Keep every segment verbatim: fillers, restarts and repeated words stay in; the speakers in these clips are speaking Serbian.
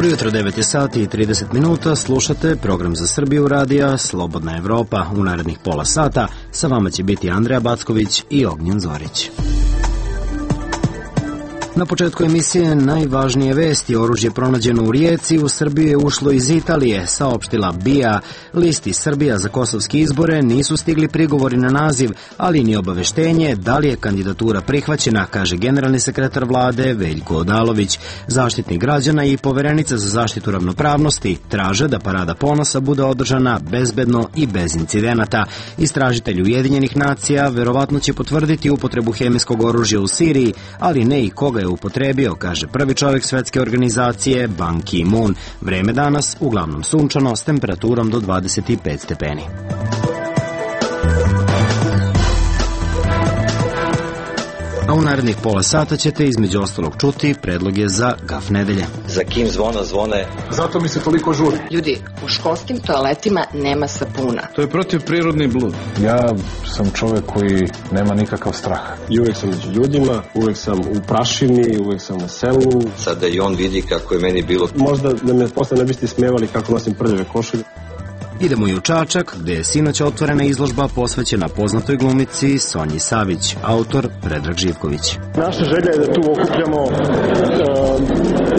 Dobro jutro, devet je sati i trideset minuta, slušate program za Srbiju radija Slobodna Evropa. U narednih pola sata sa vama će biti Andreja Backović i Ognjen Zorić. Na početku emisije najvažnije vesti: oružje pronađeno u Rijeci u Srbiju je ušlo iz Italije, saopštila B I A. Listi Srbija za kosovske izbore nisu stigli prigovori na naziv, ali ni obaveštenje da li je kandidatura prihvaćena, kaže generalni sekretar vlade Veljko Odalović. Zaštitnik građana i poverenica za zaštitu ravnopravnosti traže da Parada ponosa bude održana bezbedno i bez incidenata. Istražitelj Ujedinjenih nacija verovatno će potvrditi upotrebu hemijskog oružja u Siriji, ali ne i koga je upotrebio, kaže prvi čovjek svetske organizacije Ban Ki-moon. Vreme danas uglavnom sunčano s temperaturom do dvadeset pet stepeni. A u narednih pola sata ćete između ostalog čuti predloge za gaf nedelje. Za kim zvona zvone? Zato mi se toliko žuri. Ljudi, u školskim toaletima nema sapuna. To je protivprirodni blud. Ja sam čovjek koji nema nikakav strah. I uvijek sam među ljudima, uvijek sam u prašini, uvijek sam na selu. Sada i on vidi kako je meni bilo. Možda da me posle ne biste smijevali kako nosim prljave košulje. Idemo i u Čačak, gde je sinoć otvorena izložba posvećena poznatoj glumici Sonji Savić, autor Predrag Živković. Naša želja je da tu okupljamo uh,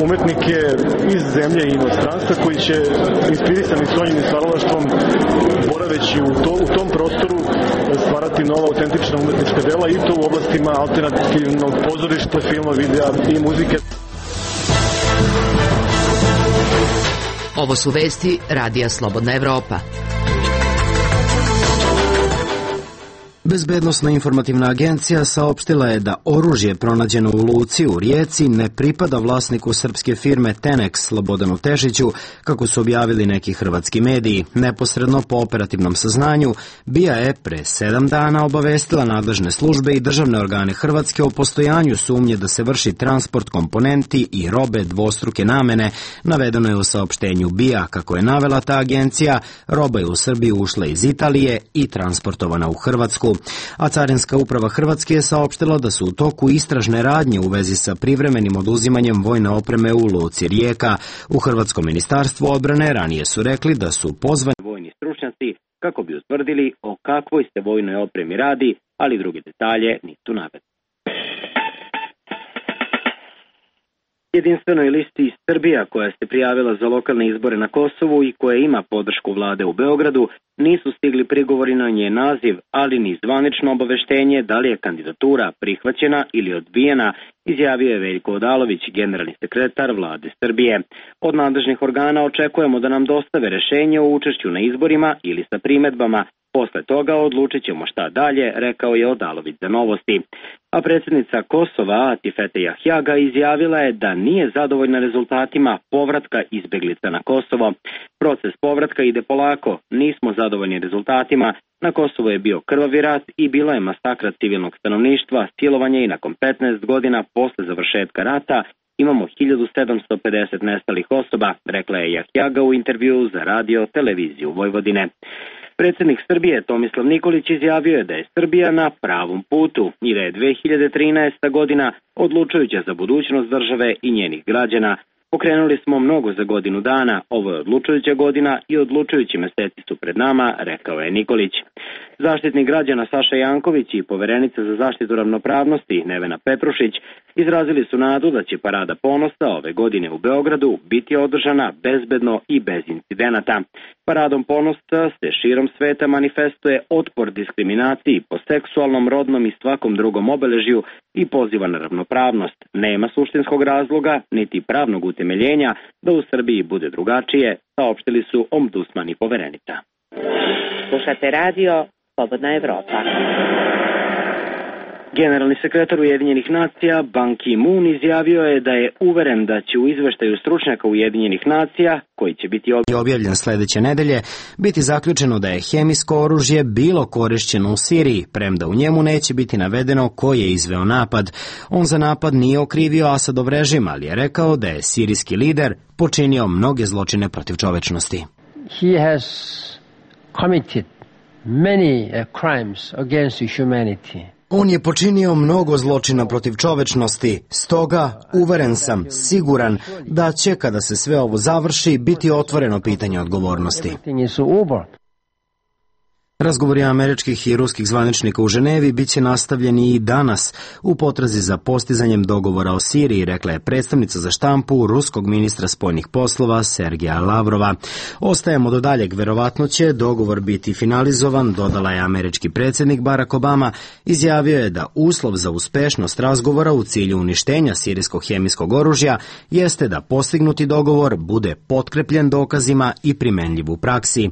umetnike iz zemlje i inostranstva koji će, inspirisani Sonjinim stvaralaštvom, boraveći u, to, u tom prostoru, stvarati nova autentična umetnička dela, i to u oblastima alternativnog pozorišta, filma, videa i muzike. Ovo su vesti Radija Slobodna Evropa. Bezbednosna informativna agencija saopštila je da oružje pronađeno u luci u Rijeci ne pripada vlasniku srpske firme Tenex Slobodanu Tešiću, kako su objavili neki hrvatski mediji. Neposredno po operativnom saznanju, B I A je pre sedam dana obavestila nadležne službe i državne organe Hrvatske o postojanju sumnje da se vrši transport komponenti i robe dvostruke namene. Navedeno je u saopštenju B I A. Kako je navela ta agencija, roba je u Srbiju ušla iz Italije i transportovana u Hrvatsku. A Carinska uprava Hrvatske je saopštila da su u toku istražne radnje u vezi sa privremenim oduzimanjem vojne opreme u luci Rijeka. U Hrvatskom ministarstvu odbrane ranije su rekli da su pozvani vojni stručnjaci kako bi utvrdili o kakvoj se vojnoj opremi radi, ali drugi detalje nisu navedeni. Jedinstvenoj listi Srbija, koja se prijavila za lokalne izbore na Kosovu i koja ima podršku vlade u Beogradu, nisu stigli prigovori na njen naziv, ali ni zvanično obaveštenje da li je kandidatura prihvaćena ili odbijena, izjavio je Veljko Odalović, generalni sekretar vlade Srbije. Od nadležnih organa očekujemo da nam dostave rešenje o učešću na izborima ili sa primedbama. Posle toga odlučit ćemo šta dalje, rekao je Odalović za Novosti. A predsjednica Kosova, Atifete Jahjaga, izjavila je da nije zadovoljna rezultatima povratka izbeglica na Kosovo. Proces povratka ide polako, nismo zadovoljni rezultatima. Na Kosovo je bio krvavi rat i bila je masakra civilnog stanovništva, silovanje, i nakon petnaest godina posle završetka rata imamo hiljadu sedamsto pedeset nestalih osoba, rekla je Jahjaga u intervjuu za radio televiziju Vojvodine. Predsjednik Srbije Tomislav Nikolić izjavio je da je Srbija na pravom putu i da je dve hiljade trinaesta godina odlučujuća za budućnost države i njenih građana. Pokrenuli smo mnogo za godinu dana, ovo je odlučujuća godina i odlučujući meseci su pred nama, rekao je Nikolić. Zaštitnik građana Saša Janković i poverenica za zaštitu ravnopravnosti Nevena Petrušić izrazili su nadu da će Parada ponosa ove godine u Beogradu biti održana bezbedno i bez incidenata. Paradom ponosa se širom sveta manifestuje otpor diskriminaciji po seksualnom, rodnom i svakom drugom obeležju i poziva na ravnopravnost. Nema suštinskog razloga niti pravnog utemeljenja da u Srbiji bude drugačije, saopštili su ombudsman i poverenica. Slušate radio Slobodna Evropa. Generalni sekretar Ujedinjenih nacija Ban Ki-moon izjavio je da je uveren da će u izveštaju stručnjaka Ujedinjenih nacija, koji će biti objavljen sledeće nedelje, biti zaključeno da je hemijsko oružje bilo korišćeno u Siriji, premda u njemu neće biti navedeno ko je izveo napad. On za napad nije okrivio Asadov režim, ali je rekao da je sirijski lider počinio mnoge zločine protiv čovečnosti. He has committed many uh, crimes against humanity. On je počinio mnogo zločina protiv čovečnosti, stoga uveren sam, siguran, da će kada se sve ovo završi biti otvoreno pitanje odgovornosti. Razgovori američkih i ruskih zvaničnika u Ženevi bit će nastavljeni i danas u potrazi za postizanjem dogovora o Siriji, rekla je predstavnica za štampu ruskog ministra spoljnih poslova Sergeja Lavrova. Ostajemo do daljeg, verovatno će dogovor biti finalizovan, dodala je američki predsjednik Barack Obama, izjavio je da uslov za uspešnost razgovora u cilju uništenja sirijskog hemijskog oružja jeste da postignuti dogovor bude potkrepljen dokazima i primenljiv u praksi.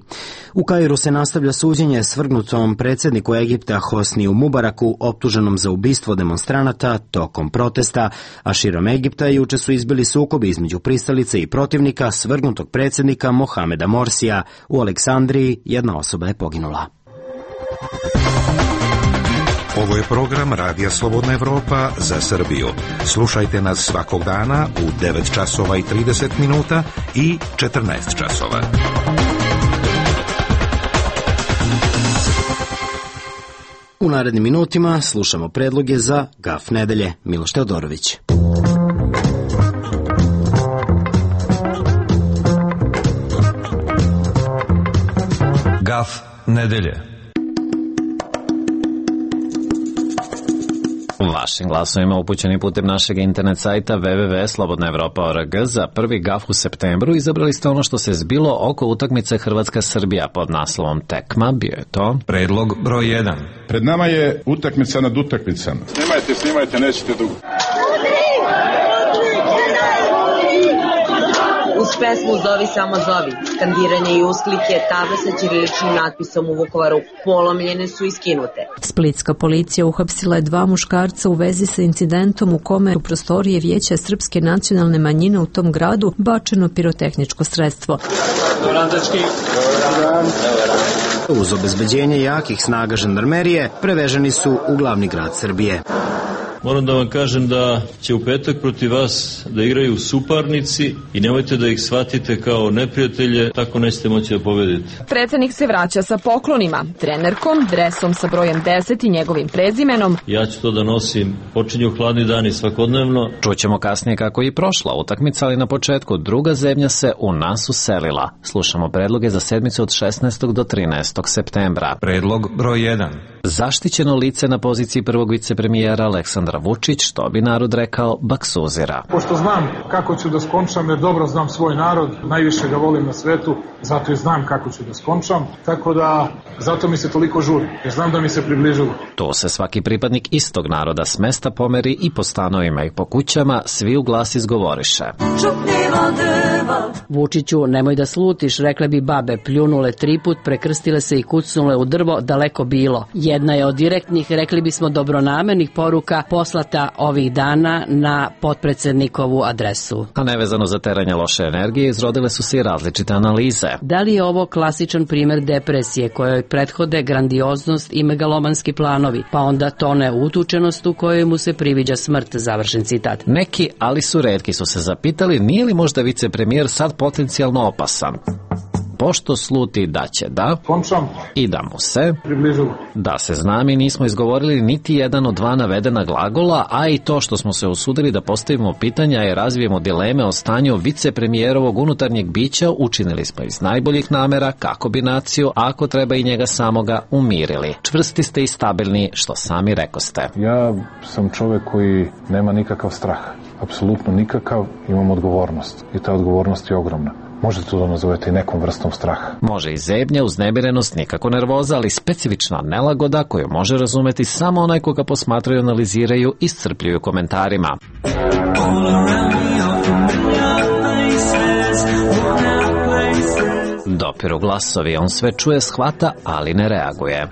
U Kairu se nastavlja suđenje svrgnutom predsjedniku Egipta Hosniju Mubaraku, optuženom za ubistvo demonstranata tokom protesta, a širom Egipta juče su izbili sukobi između pristalice i protivnika svrgnutog predsjednika Mohameda Morsija. U Aleksandriji jedna osoba je poginula. Ovo je program Radija Slobodna Evropa za Srbiju. Slušajte nas svakog dana u devet časova i trideset minuta i četrnaest časova. U narednim minutima slušamo predloge za Gaf nedelje. Miloš Teodorović. Gaf nedelje. Vašim glasovima upućeni putem našeg internet sajta w w w tačka slobodna evropa tačka org za prvi gaf u septembru izabrali ste ono što se zbilo oko utakmice Hrvatska-Srbija pod naslovom Tekma. Bio je to predlog broj jedan. Pred nama je utakmica nad utakmicama. Snimajte, snimajte, nećete dugo. Uz pesmu Zovi samo zovi, skandiranje i usklike, table sa ćiriličnim natpisom u Vukovaru polomljene su i skinute. Splitska policija uhapsila je dva muškarca u vezi sa incidentom u kome u prostorije Vijeća srpske nacionalne manjine u tom gradu bačeno pirotehničko sredstvo. Uz obezbeđenje jakih snaga žandarmerije preveženi su u glavni grad Srbije. Moram da vam kažem da će u petak protiv vas da igraju suparnici i nemojte da ih shvatite kao neprijatelje, tako nećete moći da pobedite. Predsednik se vraća sa poklonima, trenerkom, dresom sa brojem deset i njegovim prezimenom. Ja ću to da nosim, počinju hladni dani svakodnevno. Čućemo kasnije kako je i prošla utakmica, ali na početku druga zemlja se u nas uselila. Slušamo predloge za sedmicu od šesnaestog do trinaestog septembra. Predlog broj jedan. Zaštićeno lice na poziciji prvog vicepremijera Aleksandra Vučić, što bi narod rekao, baksuzira. Pošto znam kako ću da skončam, jer dobro znam svoj narod, najviše ga volim na svetu, zato i znam kako ću da skončam, tako da zato mi se toliko žuri, jer znam da mi se približilo. Tu se svaki pripadnik istog naroda s mesta pomeri i po stanovima i po kućama, svi u glas izgovoriše. Vučiću, nemoj da slutiš, rekle bi babe, pljunule triput, prekrstile se i kucnule u drvo, daleko bilo. Jedna je od direktnih, rekli bismo dobronamernih poruka poslata ovih dana na potpredsednikovu adresu. A nevezano za teranje loše energije, izrodile su se i različite analize. Da li je ovo klasičan primer depresije kojoj prethode grandioznost i megalomanski planovi, pa onda tone utučenost u kojoj mu se priviđa smrt, završen citat. Neki, ali su retki, su se zapitali nije li možda vicepremijer sad potencijalno opasan. Pošto sluti da će da Končam. I da mu se približilo. Da se zna, mi nismo izgovorili niti jedan od dva navedena glagola, a i to što smo se usudili da postavimo pitanja i razvijemo dileme o stanju vicepremijerovog unutarnjeg bića učinili smo iz najboljih namera kako bi naciju, ako treba i njega samoga, umirili. Čvrsti ste i stabilni, što sami rekoste. Ja sam čovek koji nema nikakav strah, apsolutno nikakav, imam odgovornost i ta odgovornost je ogromna. Možete to da nazovete i nekom vrstom straha. Može i zebnja, uznemirenost, nikako nervoza, ali specifična nelagoda koju može razumeti samo onaj koga posmatraju, analiziraju i iscrpljuju komentarima. Dopiru glasovi, on sve čuje, shvata, ali ne reaguje.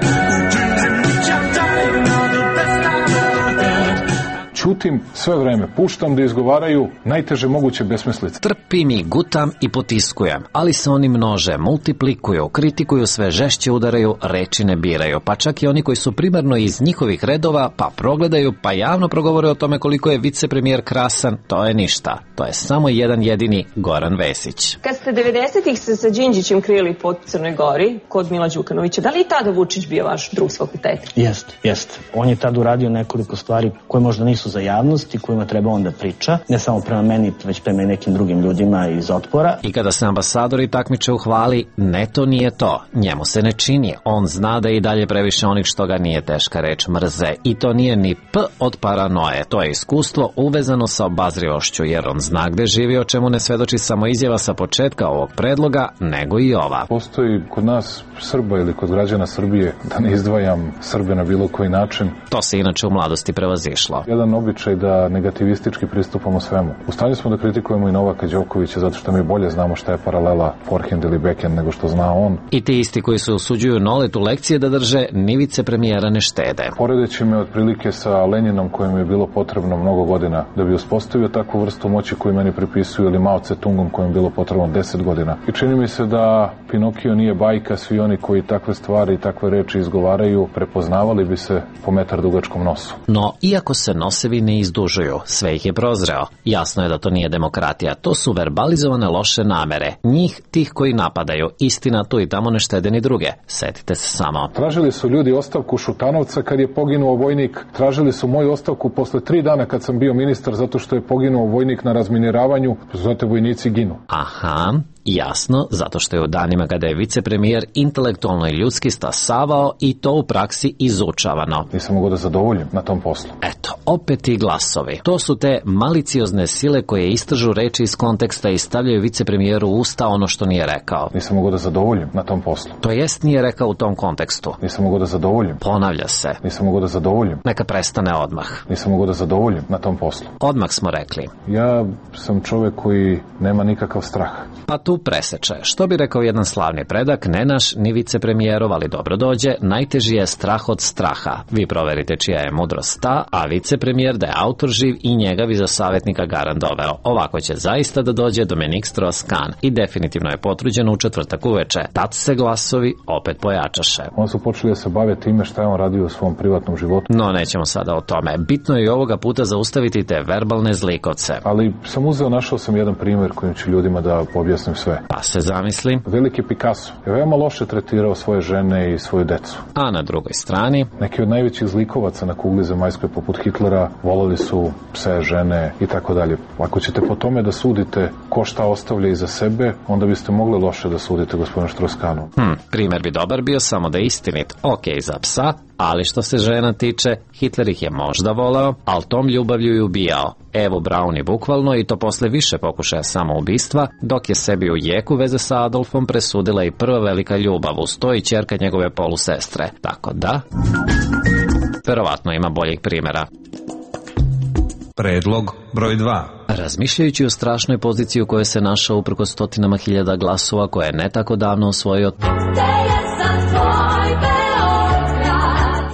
ćutim sve vreme, puštam da izgovaraju najteže moguće besmislice. Trpim i gutam i potiskujem, ali se oni množe, multiplikuju, kritikuju, sve žešće udaraju, reči ne biraju, pa čak i oni koji su primarno iz njihovih redova, pa progledaju, pa javno progovore o tome koliko je vicepremijer krasan, to je ništa. To je samo jedan jedini Goran Vesić. Kad ste devedesetih se sa Đinđićem krili po Crnoj Gori, kod Mila Đukanovića, da li i tada Vučić bio vaš drug s fakulteta? Jeste, jeste. On je tad uradio nekoliko stvari koje možda nisu za javnost i kojima treba onda priča, ne samo prema meni, već prema nekim drugim ljudima iz Otpora. I kada se ambasadori takmiče u hvali, ne, to nije to. Njemu se ne čini. On zna da i dalje previše onih što ga nije teška reč mrze. I to nije ni p od paranoje. To je iskustvo uvezano sa obazrivošću, jer on zna gde živi, o čemu ne svedoči samo izjava sa početka ovog predloga, nego i ova. Postoji kod nas Srba ili kod građana Srbije, da ne izdvajam Srbe na bilo koji način. To se inače u mladosti prevazišlo. Jedan običaj da negativistički pristupamo svemu. U stanju smo da kritikujemo i Novaka Đokovića zato što mi bolje znamo šta je paralela forehand ili backhand nego što zna on. I ti isti koji se usuđuju Noletu lekcije da drže, ni vicepremijera ne štede. Poredeći me otprilike sa Leninom kojem je bilo potrebno mnogo godina da bi uspostavio takvu vrstu moći koju meni pripisuju, ili Mao Tse-tungom kojem je bilo potrebno deset godina. I čini mi se da Pinokio nije bajka, svi oni koji takve stvari i takve reči izgovaraju prepoznavali bi se po metar dugačkom nosu. No, iako se nosevi ne izdužuju, sve ih je prozreo. Jasno je da to nije demokratija, to su verbalizovane loše namere. Njih, tih koji napadaju, istina tu i tamo ne štede ni druge. Setite se samo. Tražili su ljudi ostavku Šutanovca kad je poginuo vojnik, tražili su moju ostavku posle tri dana kad sam bio ministar zato što je poginuo vojnik na razminiravanju, zato vojnici ginu. Aha. Jasno, zato što je u danima kada je vicepremijer intelektualno i ljudski stasavao i to u praksi izučavano. Nisam mogao da zadovoljim na tom poslu. Eto, opet ti glasovi. To su te maliciozne sile koje istražu reči iz konteksta i stavljaju vicepremijeru u usta ono što nije rekao. Nisam mogao da zadovoljim na tom poslu. To jest nije rekao u tom kontekstu. Nisam mogao da zadovoljim. Ponavlja se. Nisam mogao da zadovoljim. Neka prestane odmah. Nisam mogao da zadovoljim na tom poslu. Odmah smo rekli. Ja sam čovek koji nema nikakav strah. Pa tu preseče. Što bi rekao jedan slavni predak, ne naš ni vicepremijerov, ali dobro dođe, najteži je strah od straha. Vi proverite čija je mudrost ta, a vicepremijer da je autor živ i njega bi za savjetnika garant doveo. Ovako će zaista da dođe Dominik Strauss-Kahn i definitivno je potvrđeno u četvrtak uveče. Tad se glasovi opet pojačaše. On su počeli da se bave time šta je on radio u svom privatnom životu. No, nećemo sada o tome. Bitno je i ovoga puta zaustaviti te verbalne zlikovce. Ali sam uzeo, našao sam jedan primjer kojim ću ljudima da objasnim sve. Pa se zamisli. Veliki Picasso je veoma loše tretirao svoje žene i svoju decu. A na drugoj strani? Neki od najvećih zlikovaca na kugli zemaljskoj poput Hitlera volali su pse, žene i tako dalje. Ako ćete po tome da sudite ko šta ostavlja iza sebe, onda biste mogli loše da sudite gospodinu Strauss-Kahnu. Hm, primjer bi dobar bio samo da je istinit. Ok, za psa, ali što se žena tiče, Hitler ih je možda voleo, ali tom ljubavlju i ubijao. Evo Braun i bukvalno, i to posle više pokušaja samoubistva, dok je sebi u jeku veze sa Adolfom presudila i prva velika ljubav, uz to i ćerka njegove polusestre. Tako da, verovatno ima boljih primjera. Predlog broj dva. Razmišljajući o strašnoj poziciji u kojoj se našao uprkos stotinama hiljada glasova koje je ne tako davno osvojio,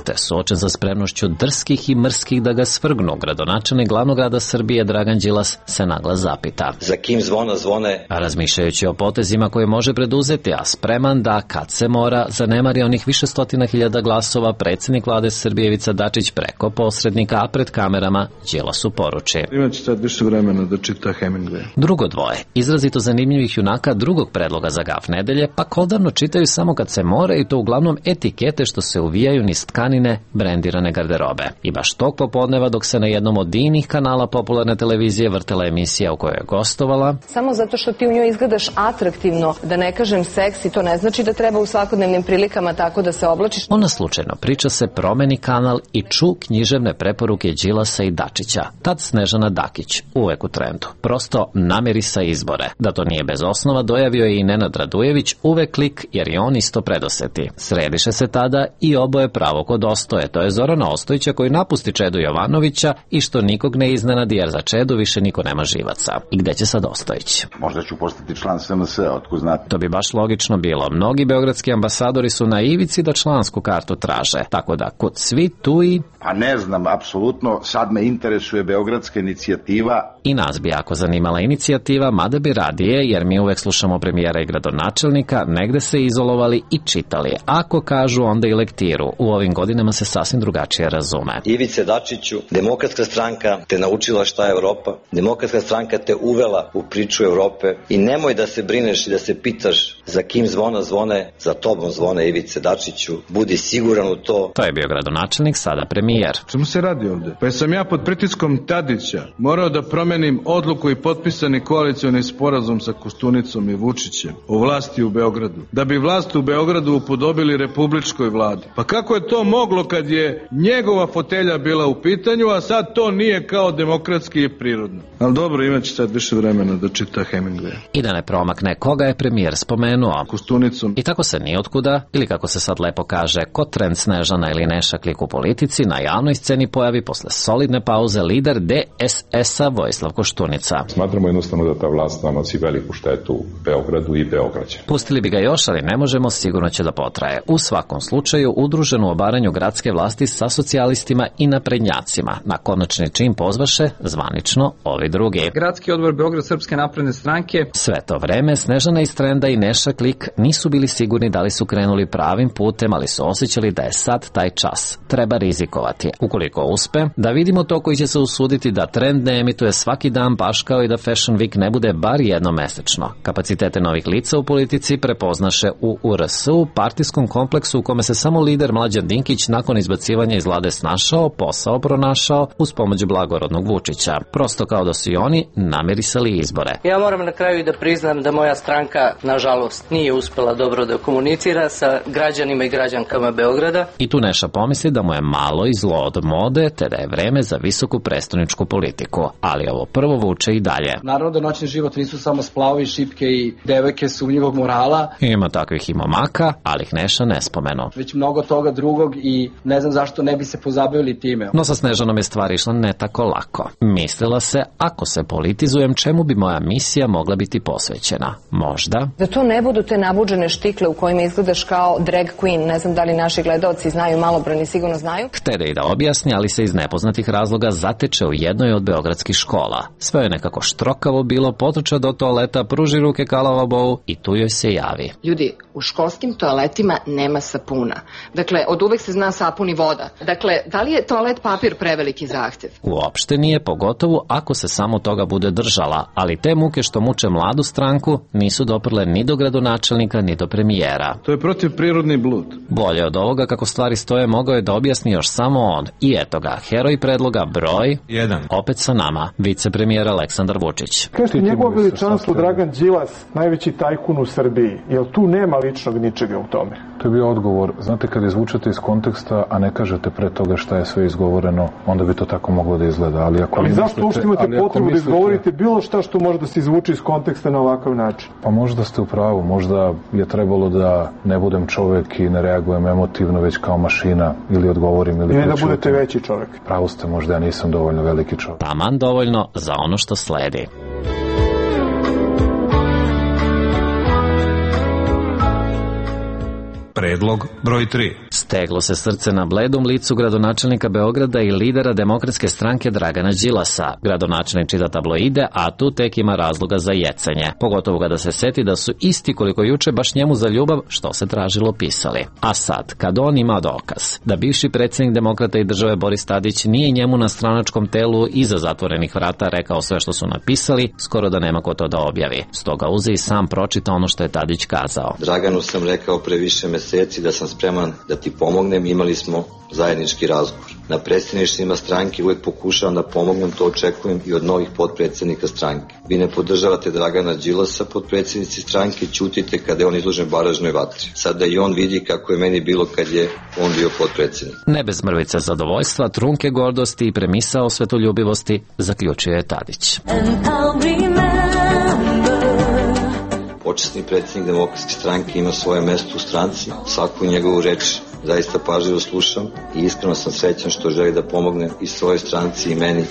te suočen sa spremnošću drskih i mrskih da ga svrgnu, gradonačelnik glavnog grada Srbije Dragan Đilas se naglas zapita. Za kim zvona zvone? A razmišljajući o potezima koje može preduzeti, a spreman da, kad se mora, zanemari onih više stotina hiljada glasova, predsjednik vlade Srbije Ivica Dačić preko posrednika, a pred kamerama Đilasu poruči. Imaće sad više vremena da čita Hemingway. Drugo dvoje, izrazito zanimljivih junaka drugog predloga za gaf nedelje, pa koldarno čitaju samo kad se mora, i to uglavnom etikete što se uvijaju niz tkanine brendirane garderobe. I baš tog popodneva, dok se na jednom od inih kanala popularne televizije vrtela emisija u kojoj je gostovala. Samo zato što ti u njoj izgledaš atraktivno, da ne kažem seksi, to ne znači da treba u svakodnevnim prilikama tako da se oblačiš. Ona slučajno priča se, promeni kanal i ču književne preporuke Đilasa i Dačića. Tad Snežana Dakić, uvek u trendu. Prosto nameri sa izbore. Da to nije bez osnova, dojavio je i Nenad Radujević, uvek lik, jer je on isto predoseti. Središe se tada i oboje pravo kod dostoje, to je Zorana Ostojića koji napusti Čedu Jovanovića i što nikog ne iznenadi jer za Čedu više niko nema živaca. I gde će sad Ostojić? Možda ću postati član S M S-a, otko znate. To bi baš logično bilo. Mnogi beogradski ambasadori su na ivici da člansku kartu traže, tako da kod svi tu i... Pa ne znam, apsolutno, sad me interesuje beogradska inicijativa. I nas bi jako zanimala inicijativa, mada bi radije, jer mi uvek slušamo premijera i gradonačelnika, negde se izolovali i čitali. Ako kažu, onda i lektiru. U ovim godinama se sasvim drugačije razume. Ivice Dačiću, Demokratska stranka te naučila šta je Evropa, Demokratska stranka te uvela u priču Evrope i nemoj da se brineš i da se pitaš za kim zvona zvone, za tobom zvone Ivice Dačiću, budi siguran u to. To je bio gradonačelnik, sada premijer. Čemu se radi ovde? Pa sam ja pod pritiskom Tadića morao da promenim odluku i potpisani koalicioni sporazum sa Koštunicom i Vučićem o vlasti u Beogradu, da bi vlast u Beogradu upodobili republičkoj vladi. Pa kako je to moglo kad je njegova fotelja bila u pitanju, a sad to nije kao demokratski i prirodno? Ali dobro, imaće sad više vremena da čita Hemingway. I da ne promakne koga je premijer spomenuo. Koštunicom. I tako se nijotkuda, ili kako se sad lepo kaže, ko trend Snežana ili Neša Klik u politici, na javnoj sceni pojavi posle solidne pauze lider D S S-a Vojislav Koštunica. Smatramo jednostavno da ta vlast nanosi veliku štetu Beogradu i Beograđanima. Pustili bi ga još, ali ne možemo, sigurno će da potraje. U svakom slučaju, udružen u obaranju gradske vlasti sa socijalistima i naprednjacima. Na konačni čin pozvaše zvanično ovi drugi. Gradski odbor Beograd Srpske napredne stranke. Sve to vreme Snežana iz Trenda i Neša Klik nisu bili sigurni da li su krenuli pravim putem, ali su osjećali da je sad taj čas. Treba rizikovati. Ukoliko uspe, da vidimo to koji će se usuditi da Trend ne emituje svaki dan baš kao i da Fashion Week ne bude bar jednomesečno. Kapacitete novih lica u politici prepoznaše u U R S-u, partijskom kompleksu u kome se samo lider Mlađan Dinkić nakon izbacivanja iz vlade snašao, posao pronašao uz pomoć blagorodnog Vučića. Prosto kao da su i oni namirisali izbore. Ja moram na kraju da priznam da moja stranka, nažalost, nije uspela dobro da komunicira sa građanima i građankama Beograda. I tu Neša pomisli da mu je malo i zlo od mode, te da je vreme za visoku prestoničku politiku. Ali ovo prvo vuče i dalje. Naravno da noćni život nisu samo splavovi, šipke i devojke sumnjivog morala. Ima takvih i momaka, ali ih Neša ne spomenu. Već mnogo toga drugog i ne znam zašto ne bi se pozabavili time. No sa Snežanom je stvar išla ne tako lako. Mislila se, ako se politizujem, čemu bi moja misija mogla biti posvećena? Možda? Da to ne budu te nabuđene štikle u kojima izgledaš kao drag queen, ne znam da li naši gledaoci znaju, malobrojni sigurno znaju. Htede i da objasni, ali se iz nepoznatih razloga zateče u jednoj od beogradskih škola. Sve je nekako štrokavo bilo, potrča do toaleta, pruži ruke Kalavabovu i tu joj se javi. Ljudi, u školskim toaletima nema sapuna. Dakle, od uvek se zna sapun i voda. Dakle, da li je toalet papir preveliki zahtev? Uopšte nije, pogotovo ako se samo toga bude držala, ali te muke što muče mladu stranku nisu doprle ni do gradonačelnika, ni do premijera. To je protivprirodni blud. Bolje od ovoga kako stvari stoje mogao je da objasni još samo on. I eto ga, heroj predloga broj jedan. Opet sa nama, vicepremijer Aleksandar Vučić. Kažete, njegovo veličanstvo Dragan Đilas, najveći tajkun u Srbiji. Jel tu nema ličnog ničega u tome? To je bio odgovor. Znate, kad izvučete iz konteksta, a ne kažete pre toga šta je sve izgovoreno, onda bi to tako moglo da izgleda. Ali, ako ali mislite, zašto uopšte imate ali potrebu mislite, da izgovorite bilo šta što može da se izvuče iz konteksta na ovakav način? Pa možda ste u pravu. Možda je trebalo da ne budem čovek i ne reagujem emotivno, već kao mašina, ili odgovorim ili... Ili da budete veći čovek. Pravo ste, možda ja nisam dovoljno veliki čovek. Taman dovoljno za ono što sledi. Predlog broj tri. Steglo se srce na bledom licu gradonačelnika Beograda i lidera Demokratske stranke Dragana Đilasa. Gradonačelnik čita tabloide, a tu tek ima razloga za jecanje. Pogotovo kada se seti da su isti koliko juče baš njemu za ljubav što se tražilo pisali. A sad, kad on ima dokaz da bivši predsjednik Demokrata i države Boris Tadić nije njemu na stranačkom telu iza zatvorenih vrata rekao sve što su napisali, skoro da nema ko to da objavi. Stoga uze i sam pročita ono što je Tadić kazao. Draganu sam rekao pre više meseci da sam spreman da ti pomognem, imali smo zajednički razgovor. Na predstavništvima stranke uvek pokušavam da pomognem, to očekujem i od novih potpredsjednika stranke. Vi ne podržavate Dragana Đilasa, potpredsjednici stranke, ćutite kada je on izložen baražnoj vatri. Sada i on vidi kako je meni bilo kad je on bio potpredsjednik. Ne bez mrvice zadovoljstva, trunke gordosti i premisa o svetoljubivosti, zaključio je Tadić. počasni predsjednik Demokratske stranke ima svoje mesto u stranci, svaku njegovu reč zaista pažljivo slušam i iskreno sam srećan što želi da pomogne i svojoj stranci i meni.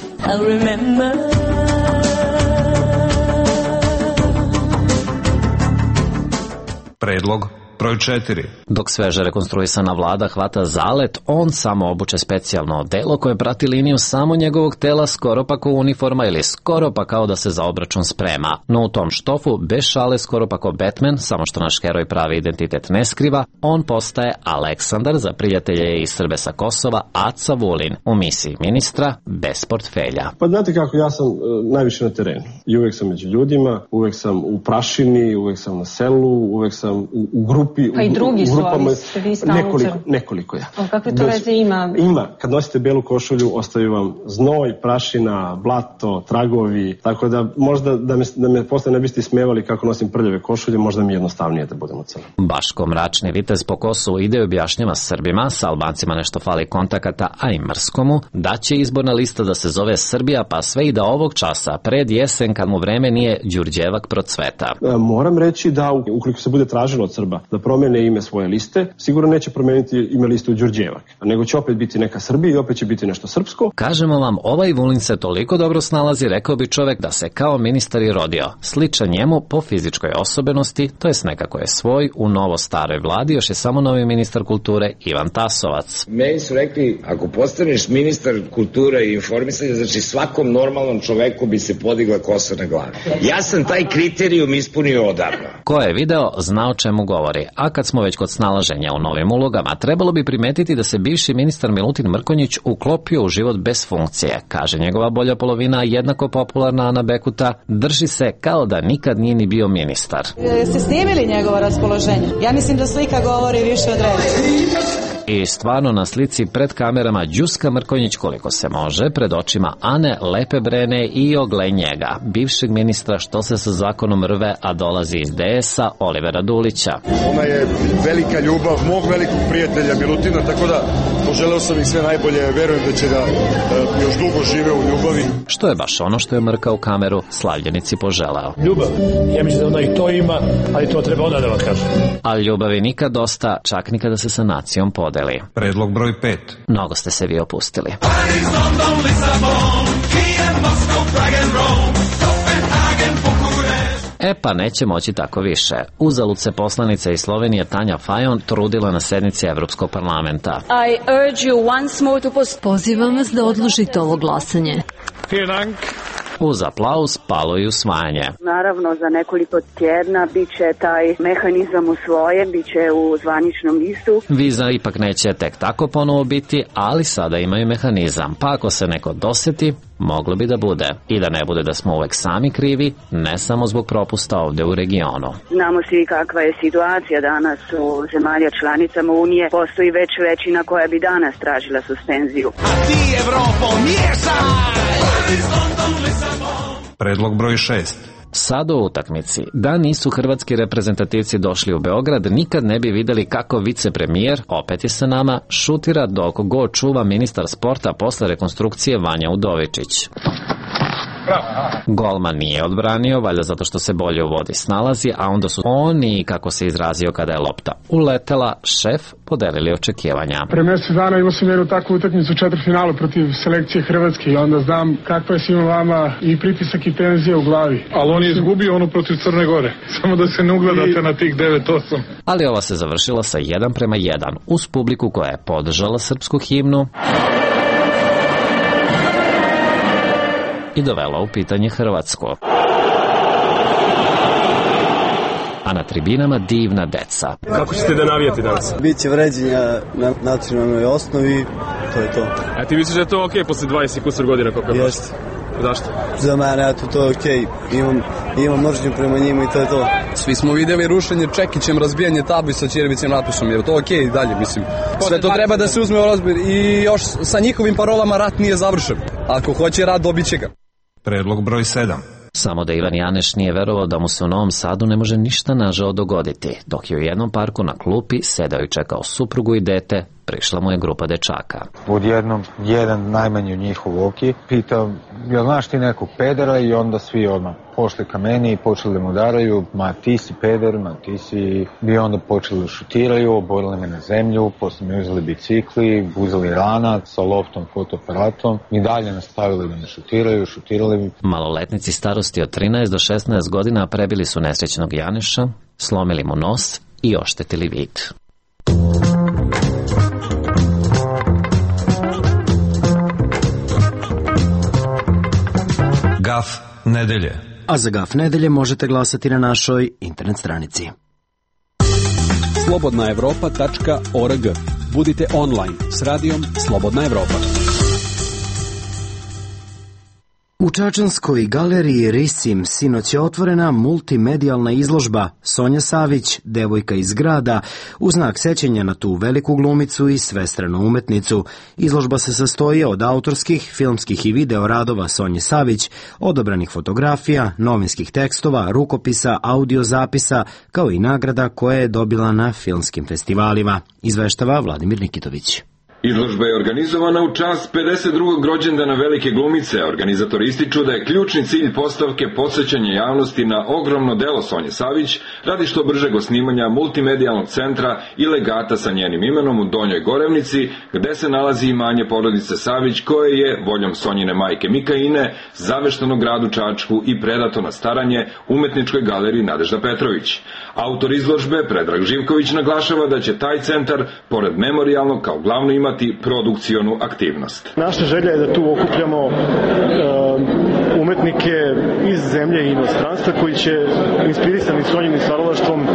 Predlog broj četiri. Dok sveže rekonstruisana vlada hvata zalet, on samo obuče specijalno odelo koje prati liniju samo njegovog tela, skoro pa kao uniforma ili skoro pa kao da se za obračun sprema. No u tom štofu, bez šale, skoro pa kao Batman, samo što naš heroj pravi identitet ne skriva, on postaje Aleksandar, za prijatelje i Srbe sa Kosova, Aca Vulin, u misiji ministra bez portfelja. Pa znate kako, ja sam uh, najviše na terenu i uvek sam među ljudima, uvek sam u prašini, uvek sam na selu, uvek sam u, u grupi. Pa i drugi su, ali ste vi stalno nekoliko, nekoliko ja. O, kakve to veze ima? Ima. Kad nosite belu košulju, ostaju vam znoj, prašina, blato, tragovi, tako da možda da me, da me posle ne biste ismevali kako nosim prljave košulje, možda mi je jednostavnije da budemo crni. Baško mračni vitez po Kosovu ide i objašnjava Srbima, sa Albancima nešto fali kontakata, a i mrskomu, da će izborna lista da se zove Srbija, pa sve i da ovog časa, pred jesen, kad mu vreme nije Đurđevak procveta. E, moram reći da ukoliko se bude tražilo od Srba da promene ime svoje liste, sigurno neće promeniti ime liste u Đurđevak, nego će opet biti neka Srbija i opet će biti nešto srpsko. Kažemo vam, ovaj Vulin se toliko dobro snalazi, rekao bi čovek, da se kao ministar i rodio. Sličan njemu po fizičkoj osobenosti, to jest nekako je svoj, u novo staroj vladi još je samo novi ministar kulture Ivan Tasovac. Meni su rekli, ako postaneš ministar kulture i informisanja, znači svakom normalnom čoveku bi se podigla kosa na glavi. Ja sam taj kriterijum ispunio odavno. Ko je video, zna o čemu govori. A kad smo već kod snalaženja u novim ulogama, trebalo bi primetiti da se bivši ministar Milutin Mrkonjić uklopio u život bez funkcije. Kaže njegova bolja polovina, jednako popularna Ana Bekuta, drži se kao da nikad nije ni bio ministar. Jeste snimili njegovo raspoloženje? Ja mislim da slika govori više od reči. I stvarno na slici pred kamerama đuska Mrkonjić koliko se može, pred očima Ane lepe brene i ogle njega, bivšeg ministra što se sa zakonom rve, a dolazi iz D S-a, Olivera Dulića. Ona je velika ljubav mog velikog prijatelja Milutina, tako da poželeo sam ih sve najbolje, verujem da će da e, još dugo žive u ljubavi. Što je baš ono što je Mrka u kameru slavljenici poželeo. Ljubav, ja mislim da ona i to ima, ali to treba onda da vam kažem. Ali ljubavi nikad dosta, čak nikada se sa nacijom podeli. Predlog broj pet. Mnogo ste se vi opustili. E pa neće moći tako više. Uzalud se poslanica iz Slovenije Tanja Fajon trudila na sednici Evropskog parlamenta. I urge you once more to post... Pozivam vas da odložite ovo glasanje. Uz aplauz palo i usvajanje. Naravno, za nekoliko tjedna bit će taj mehanizam usvojen, bit će u zvaničnom listu. Viza ipak neće tek tako ponovo biti, ali sada imaju mehanizam. Pa ako se neko doseti, moglo bi da bude. I da ne bude da smo uvek sami krivi, ne samo zbog propusta ovde u regionu. Znamo svi kakva je situacija danas u zemalja članicama Unije. Postoji već većina koja bi danas tražila suspenziju. A ti Evropo miješaj! Predlog broj šest. Sad u utakmici. Da nisu hrvatski reprezentativci došli u Beograd, nikad ne bi videli kako vicepremijer, opet je sa nama, šutira dok go čuva ministar sporta posle rekonstrukcije Vanja Udovičić. Golman nije odbranio, valjda zato što se bolje u vodi snalazi, a onda su oni, kako se izrazio kada je lopta uletela, šef podelili očekivanja. Pre mjesec dana imao sam jednu takvu utakmicu u četvrtfinalu protiv selekcije Hrvatske i onda znam kakva je svima vama i pritisak i tenzija u glavi. Ali on je izgubio onu protiv Crne Gore, samo da se ne ugledate na tih devet osam. Ali ova se završila sa jedan prema jedan, uz publiku koja je podržala srpsku himnu i dovela u pitanje Hrvatsko. A na tribinama divna deca. Kako ćete da navijate danas? Biće vređenja na nacionalnoj osnovi, to je to. A ti misliš da je to okej okay posle dvadeset kusur godina koliko je Jeste. Zašto? Za mene, eto, to je okej. Okay. Imam, imam mržnju prema njima i to je to. Svi smo vidjeli rušenje Čekićem, razbijanje tabli sa ćirivicim natpisom, je to okej okay, dalje, mislim. Sve to treba da se uzme u razbir i još sa njihovim parolama rat nije završen. Ako hoće rat, dobit će ga. Predlog broj sedam. Samo da Ivan Janeš nije verovao da mu se u Novom Sadu ne može ništa nažao dogoditi, dok je u jednom parku na klupi sedao i čekao suprugu i dete prišla mu je grupa dečaka. Odjednom, jedan najmanji od njih u Voki pitao, jel znaš ti nekog pedera, i onda svi odmah pošli ka meni i počeli da mu udaraju, ma ti si peder, ma ti si... I onda počeli da šutiraju, obojili me na zemlju, posle mi uzeli bicikli, uzeli ranac sa loftom, fotoaparatom i dalje nastavili da me šutiraju, šutirali mi. Maloletnici starosti od trinaest do šesnaest godina prebili su nesrećnog Janeša, slomili mu nos i oštetili vid. Gaf nedelje. A za Gaf nedelje možete glasati na našoj internet stranici. slobodna evropa tačka org. Budite online s radijom Slobodna Evropa. U čačanskoj galeriji Risim sinoć je otvorena multimedijalna izložba Sonja Savić, devojka iz grada, u znak sećanja na tu veliku glumicu i svestranu umetnicu. Izložba se sastoji od autorskih, filmskih i video radova Sonje Savić, odabranih fotografija, novinskih tekstova, rukopisa, audio zapisa, kao i nagrada koje je dobila na filmskim festivalima, izveštava Vladimir Nikitović. Izložba je organizovana u čast pedeset drugog rođendana velike glumice. Organizatori ističu da je ključni cilj postavke podsjećanje javnosti na ogromno delo Sonje Savić radi što bržeg osnimanja multimedijalnog centra i legata sa njenim imenom u Donjoj Gorevnici, gde se nalazi imanje porodice Savić, koje je, voljom Sonjine majke Mikaine, zavešteno gradu Čačku i predato na staranje umetničkoj galeriji Nadežda Petrović. Autor izložbe, Predrag Živković, naglašava da će taj centar, pored memorijalnog, kao glavno imati produkcionu aktivnost. Naša želja je da tu okupljamo uh, umetnike iz zemlje i inostranstva koji će, inspirisani Sonjinim stvaralaštvom,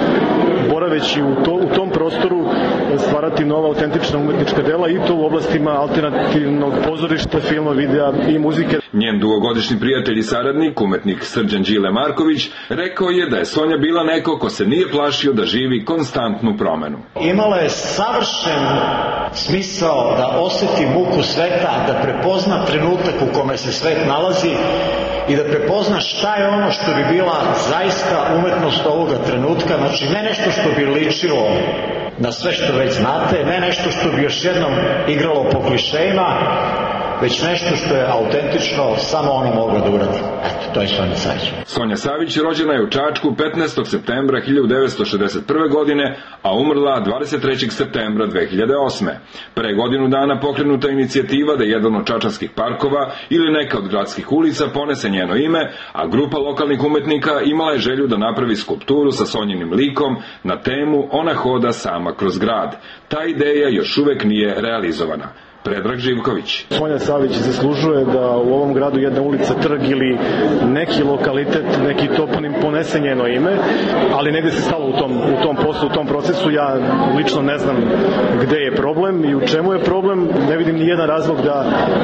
boraveći u, to, u tom prostoru, stvarati nova autentična umetnička dela, i to u oblastima alternativnog pozorišta, filma, videa i muzike. Njen dugogodišnji prijatelj i saradnik, umetnik Srđan Đile Marković, rekao je da je Sonja bila neko ko se nije plašio da živi konstantnu promenu. Imala je savršen smisao da oseti muku sveta, da prepozna trenutak u kome se svet nalazi i da prepozna šta je ono što bi bila zaista umetnost ovoga trenutka, znači ne nešto što bi ličilo na sve što već znate, ne nešto što bi još jednom igralo po klišejima, već nešto što je autentično samo ona mogla da uradi. Eto, to je Sonja Savić. Sonja Savić rođena je u Čačku petnaestog septembra hiljadu devetsto šezdeset prve. godine, a umrla dvadeset trećeg septembra dve hiljade osme. Pre godinu dana pokrenuta inicijativa da jedan od čačanskih parkova ili neka od gradskih ulica ponese njeno ime, a grupa lokalnih umetnika imala je želju da napravi skulpturu sa Sonjinim likom na temu Ona hoda sama kroz grad. Ta ideja još uvek nije realizovana. Predrag Živković. Sonja Savić zaslužuje da u ovom gradu jedna ulica, trg ili neki lokalitet, neki toponim ponese njeno ime, ali negde se stalo u tom, u tom poslu, u tom procesu. Ja lično ne znam gde je problem i u čemu je problem. Ne vidim ni jedan razlog da,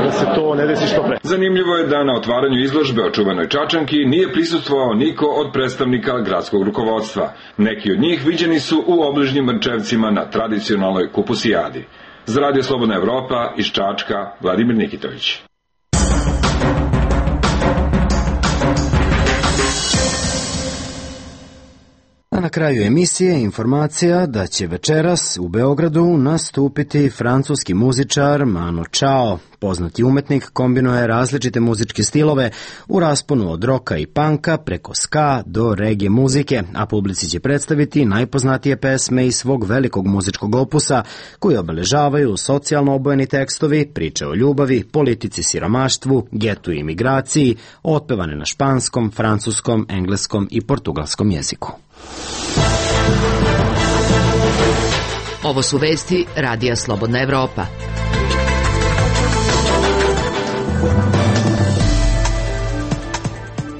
da se to ne desi što pre. Zanimljivo je da na otvaranju izložbe o čuvenoj Čačanki nije prisustvovao niko od predstavnika gradskog rukovodstva. Neki od njih viđeni su u obližnjim Mrčevcima na tradicionalnoj kupusijadi. Za Radio Slobodna Evropa iz Čačka, Vladimir Nikitović. A na kraju emisije informacija da će večeras u Beogradu nastupiti francuski muzičar Manu Chao. Poznati umetnik kombinuje različite muzičke stilove u rasponu od roka i panka preko ska do reggae muzike, a publici će predstaviti najpoznatije pesme iz svog velikog muzičkog opusa koji obeležavaju socijalno obojeni tekstovi, priče o ljubavi, politici, siromaštvu, getu i imigraciji, otpevane na španskom, francuskom, engleskom i portugalskom jeziku. Ovo su vesti Radija Slobodna Evropa.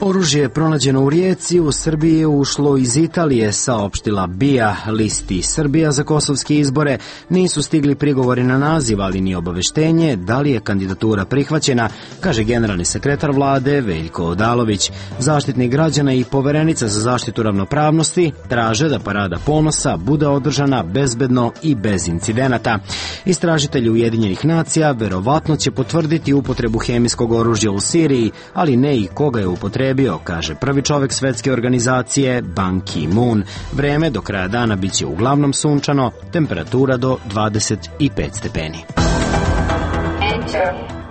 Oružje je pronađeno u Rijeci, u Srbiji je ušlo iz Italije, saopštila B I A. Listi Srbija za kosovske izbore nisu stigli prigovori na naziv, ali ni obaveštenje da li je kandidatura prihvaćena, kaže generalni sekretar vlade Veljko Odalović. Zaštitnik građana i poverenica za zaštitu ravnopravnosti traže da parada ponosa bude održana bezbedno i bez incidenata. Istražitelji Ujedinjenih nacija verovatno će potvrditi upotrebu hemijskog oružja u Siriji, ali ne i koga je upotrebio upotrijebio, kaže prvi čovek svetske organizacije Ban Ki-moon. Vreme do kraja dana biće uglavnom sunčano, temperatura do dvadeset pet stepeni.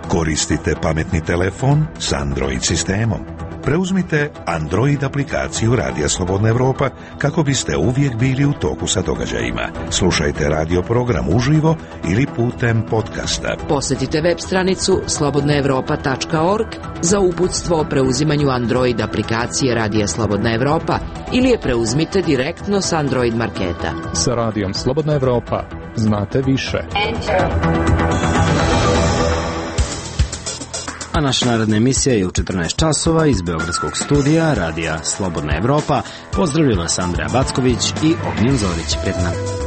Koristite pametni telefon s Android sistemom. Preuzmite Android aplikaciju Radija Slobodna Evropa kako biste uvijek bili u toku sa događajima. Slušajte radio program uživo ili putem podcasta. Posjetite web stranicu slobodna evropa tačka org za uputstvo o preuzimanju Android aplikacije Radija Slobodna Evropa ili je preuzmite direktno s Android marketa. Sa Radijom Slobodna Evropa znate više. A naša narodna emisija je u četrnaest časova iz Beogradskog studija Radija Slobodna Evropa. Pozdravljena vas Andreja Backović i Ognjen Zorić. Pred nama.